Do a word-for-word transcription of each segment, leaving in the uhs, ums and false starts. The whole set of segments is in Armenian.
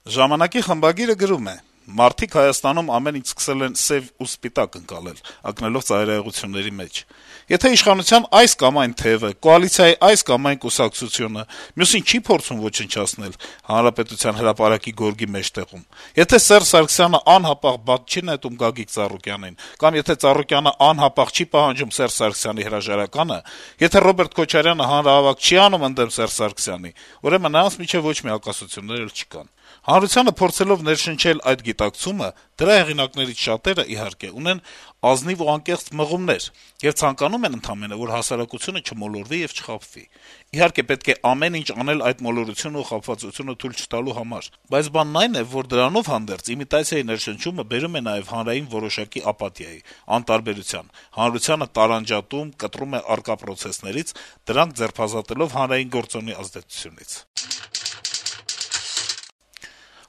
Ժամանակի խմբագիրը գրում է. - «Մարդիկ Հայաստանում ամեն ինչ սկսել են սեւ ու սպիտակ ընկալել` ընկնելով ծայրահեղությունների մեջ: Եթե իշխանության այս կամ այն թեւը, կոալիցիայի այս կամ այն կուսակցությունը մյուսին չի փորձում ոչնչացնել Հանրապետության հրապարակի գորգի մեջտեղում, եթե Սերժ Սարգսյանը անհապաղ բաց չի նետում Գագիկ Ծառուկյանին, կամ եթե Ծառուկյանը անհապաղ չի պահանջում Սերժ Սարգսյանի հրաժարականը, եթե Ռոբերտ Քոչարյանը հանրահավաք չի անում ընդդեմ Սերժ Սարգսյանի, ուրեմն նրանց միջեւ ոչ մի հակասություններ էլ չկան: Հանրությանը փորձելով ներշնչել այդ գիտակցումը, դրա հեղինակներից շատերը, իհարկե, ունեն ազնիվ ու անկեղծ մղումներ եւ ցանկանում են ընդամենը, որ հասարակությունը չմոլորվի եւ չխաբվի: Իհարկե, պետք է ամեն ինչ անել այդ մոլորությունն ու խաբվածությունը թույլ չտալու համար: Բայց բանն այն է, որ դրանով հանդերձ իմիտացիայի ներշնչումը բերում է նաեւ հանրային որոշակի ապաթիայի, անտարբերության, հանրությանը տարանջատում, կտրում է առկա պրոցեսներից, դրանք ձերբազատելով հանրային գործոնի ազդեցությունից»: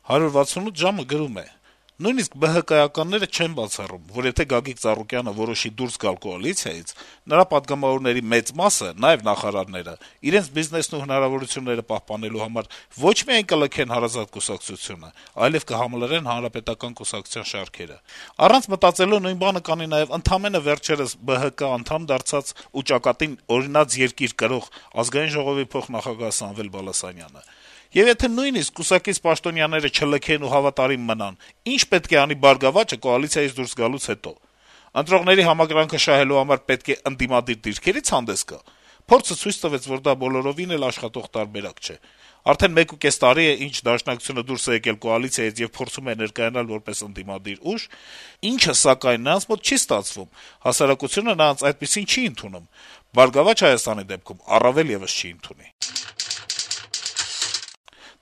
«հարյուր վաթսունութ ժամ»-ը գրում է. - «Նույնիսկ ԲՀԿ-ականները չեն բացառում, որ եթե Գագիկ Ծառուկյանը որոշի դուրս գալ կոալիցիայից, նրա պատգամավորների մեծ մասը, նաեւ նախարարները, իրենց բիզնեսն ու հնարավորությունները պահպանելու համար ոչ միայն կլքեն հարազատ կուսակցությունը, այլեւ կհամլրեն Հանրապետական կուսակցության շարքերը: Առանց մտածելու նույն բանը կանի նաեւ ընդամենը վերջերս ԲՀԿ անդամ դարձած ու ճակատին «օրինաց երկիր» կրող Ազգային ժողովի փոխնախագահ Սամվել Բալասանյանը: Եվ եթե նույնիսկ կուսակից պաշտոնյաները չլքեն ու հավատարիմ մնան, ի՞նչ պետք է անի «Բարգավաճը» կոալիցիայից դուրս գալուց հետո: Ընտրողների համակրանքը շահելու համար պետք է ընդդիմադիր դիրքերի՞ց հանդես գա: Փորձը ցույց տվեց, որ դա բոլորովին էլ աշխատող տարբերակ չէ: Արդեն մեկուկես տարի է, ինչ Դաշնակցությունը դուրս է եկել կոալիցիայից եւ փորձում է ներկայանալ որպես ընդդիմադիր ուժ, ինչը, սակայն, նրանց մոտ չի ստացվում, հասարակությունը նրանց այդպիսին չի ընդունում, «Բարգավաճ Հայաստան»-ի դեպքում առավել եւս չի ընդունի»: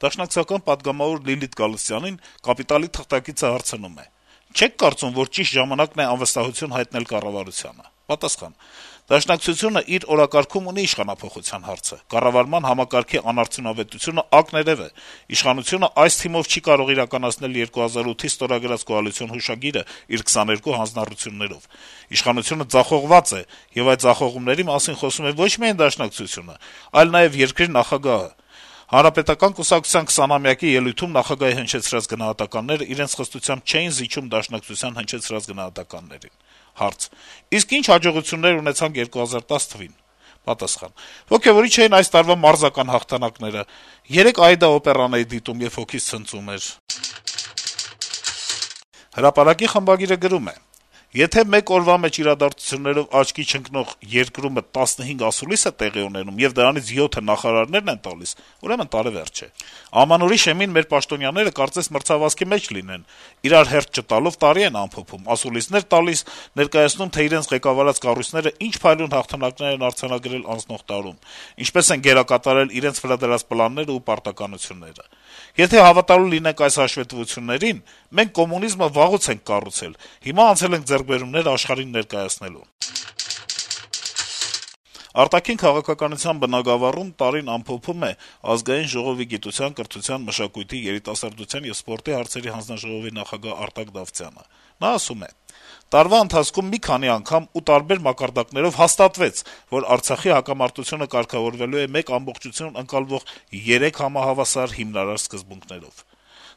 Դաշնակցական պատգամավոր Լիլիթ Գալստյանին «Կապիտալ»-ի թղթակիցը հարցնում է. - «Չե՞ք կարծում, որ ճիշտ ժամանակն է անվստահություն հայտնել կառավարությանը»: Պատասխան. - «Դաշնակցությունը իր օրակարգում ունի իշխանափոխության հարցը: Կառավարման համակարգի անարդյունավետությունը ակներեւ է: Իշխանությունը այս թիմով չի կարող իրականացնել երկու հազար ութի ստորագրած կոալիցիոն հուշագիրը իր քսաներկու հանձնառություններով: Իշխանությունը ձախողված է, եւ այդ ձախողումների մասին խոսում է ոչ միայն Դաշնակցությունը, այլ նաեւ երկրի նախագահը: Հանրապետական կուսակցության քսանամյակի ելույթում նախագահի հնչեցրած գնահատականները իրենց խստությամբ չէին զիջում Դաշնակցության հնչեցրած գնահատականներին»: Հարց. - «Իսկ ի՞նչ հաջողություններ ունեցանք երկու հազար տասը թվականին»: Պատասխան. - «Ոգեւորիչ էին այս տարվա մարզական հաղթանակները: Երեկ «Աիդա» օպերան էի դիտում, եւ հոգիս ցնծում էր»: «Հրապարակ»-ի խմբագիրը գրում է. - «Եթե մեկ օրվա մեջ իրադարձություններով աչքի չընկնող երկրում տասնհինգ ասուլիս է տեղի ունենում, եւ դրանից յոթը նախարարներն են տալիս, ուրեմն տարեվերջ է: Ամանորի շեմին մեր պաշտոնյաները կարծես մրցավազքի մեջ լինեն, իրար հերթ չտալով տարի են ամփոփում, ասուլիսներ տալիս, ներկայացնում, թե իրենց ղեկավարած կառույցները ինչ փայլուն հաղթանակներ են արձանագրել անցնող տարում, ինչպես են գերակատարել իրենց վրա դրած պլաններն ու պարտականությունները: Եթե հավատալու լինենք այս հաշվետվություններին, մենք կոմունիզմը վաղուց ենք կառուցել, հիմա անցել ենք ձեռքբերումներ աշխարհին ներկայացնելու»: Արտաքին քաղաքականության բնագավառում տարին ամփոփում է Ազգային ժողովի գիտության, կրթության, մշակույթի, երիտասարդության եւ սպորտի հարցերի հանձնաժողովի նախագահ Արտակ Դավթյանը: Նա ասում է. - «Տարվա ընթացքում մի քանի անգամ ու տարբեր մակարդակներով հաստատվեց, որ Արցախի հակամարտությունը կարգավորվելու է մեկ ամբողջություն ընկալվող երեք համահավասար, հիմնարար սկզբունքներով: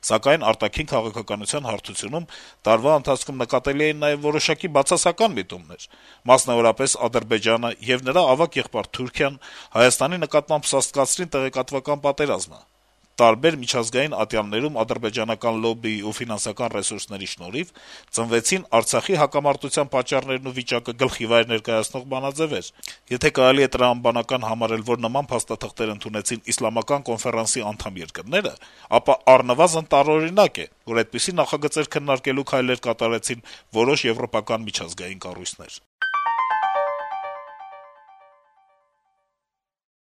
Սակայն արտաքին քաղաքականության հարթությունում տարվա ընթացքում նկատելի էին նաեւ որոշակի բացասական միտումներ: Մասնավորապես, Ադրբեջանը եւ նրա ավագ եղբայր Թուրքիան Հայաստանի նկատմամբ սաստկացրին տեղեկատվական պատերազմը: Տարբեր միջազգային ատյաններում ադրբեջանական լոբբիի ու ֆինանսական ռեսուրսների շնորհիվ ծնվեցին Արցախի հակամարտության պատճառներն ու վիճակը գլխիվայր ներկայացնող բանաձեւեր: Եթե կարելի է տրամաբանական համարել, որ նման փաստաթղթեր ընդունեցին Իսլամական կոնֆերանսի անդամ երկրները, ապա առնվազն տարօրինակ է, որ այդպիսի նախագծեր քննարկելու քայլեր կատարեցին որոշ եվրոպական միջազգային կառույցներ»: